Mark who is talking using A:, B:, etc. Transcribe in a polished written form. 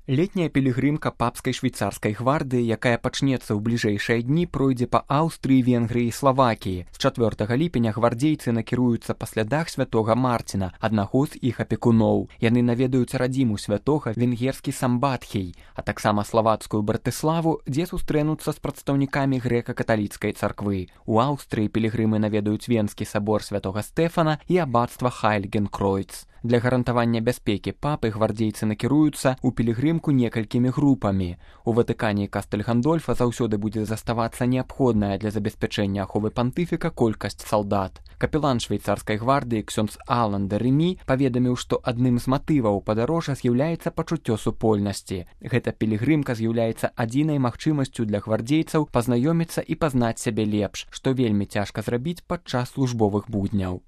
A: Летняя пілігрымка папскай швейцарскай гвардыі, якая пачнецца ў бліжэйшыя дні, пройдзе па Аўстрыі, Венгрыі і Славакіі. З 4 ліпеня гвардзейцы накіруюцца па слядах святога Марціна, аднаго з іх апекуноў. Яны наведаюць радзіму святога венгерскі Самбатхей, а таксама славацкую Братыславу, дзе сустрэнуцца з прадстаўнікамі грэка-каталіцкай царквы. У Аўстрыі пілігрымы наведаюць Венскі сабор святога Стэфана і абацтва Хайльгенкройц. Для гарантавання бяспекі папы гвардзейцы накіруюцца ў пілігрымку некалькімі групамі. У Ватыкане і Кастэль Гандольфа заўсёды будзе заставацца неабходная для забеспячэння аховы пантыфіка колькасць салдат. Капелан швейцарскай гвардыі ксёндз Алан де Рэмі паведаміў, што адным з матываў падарожжа з'яўляецца пачуццё супольнасці. Гэта пілігрымка з'яўляецца адзінай магчымасцю для гвардзейцаў пазнаёміцца і пазнаць сябе лепш, што вельмі цяжка зрабіць падчас службовых будняў.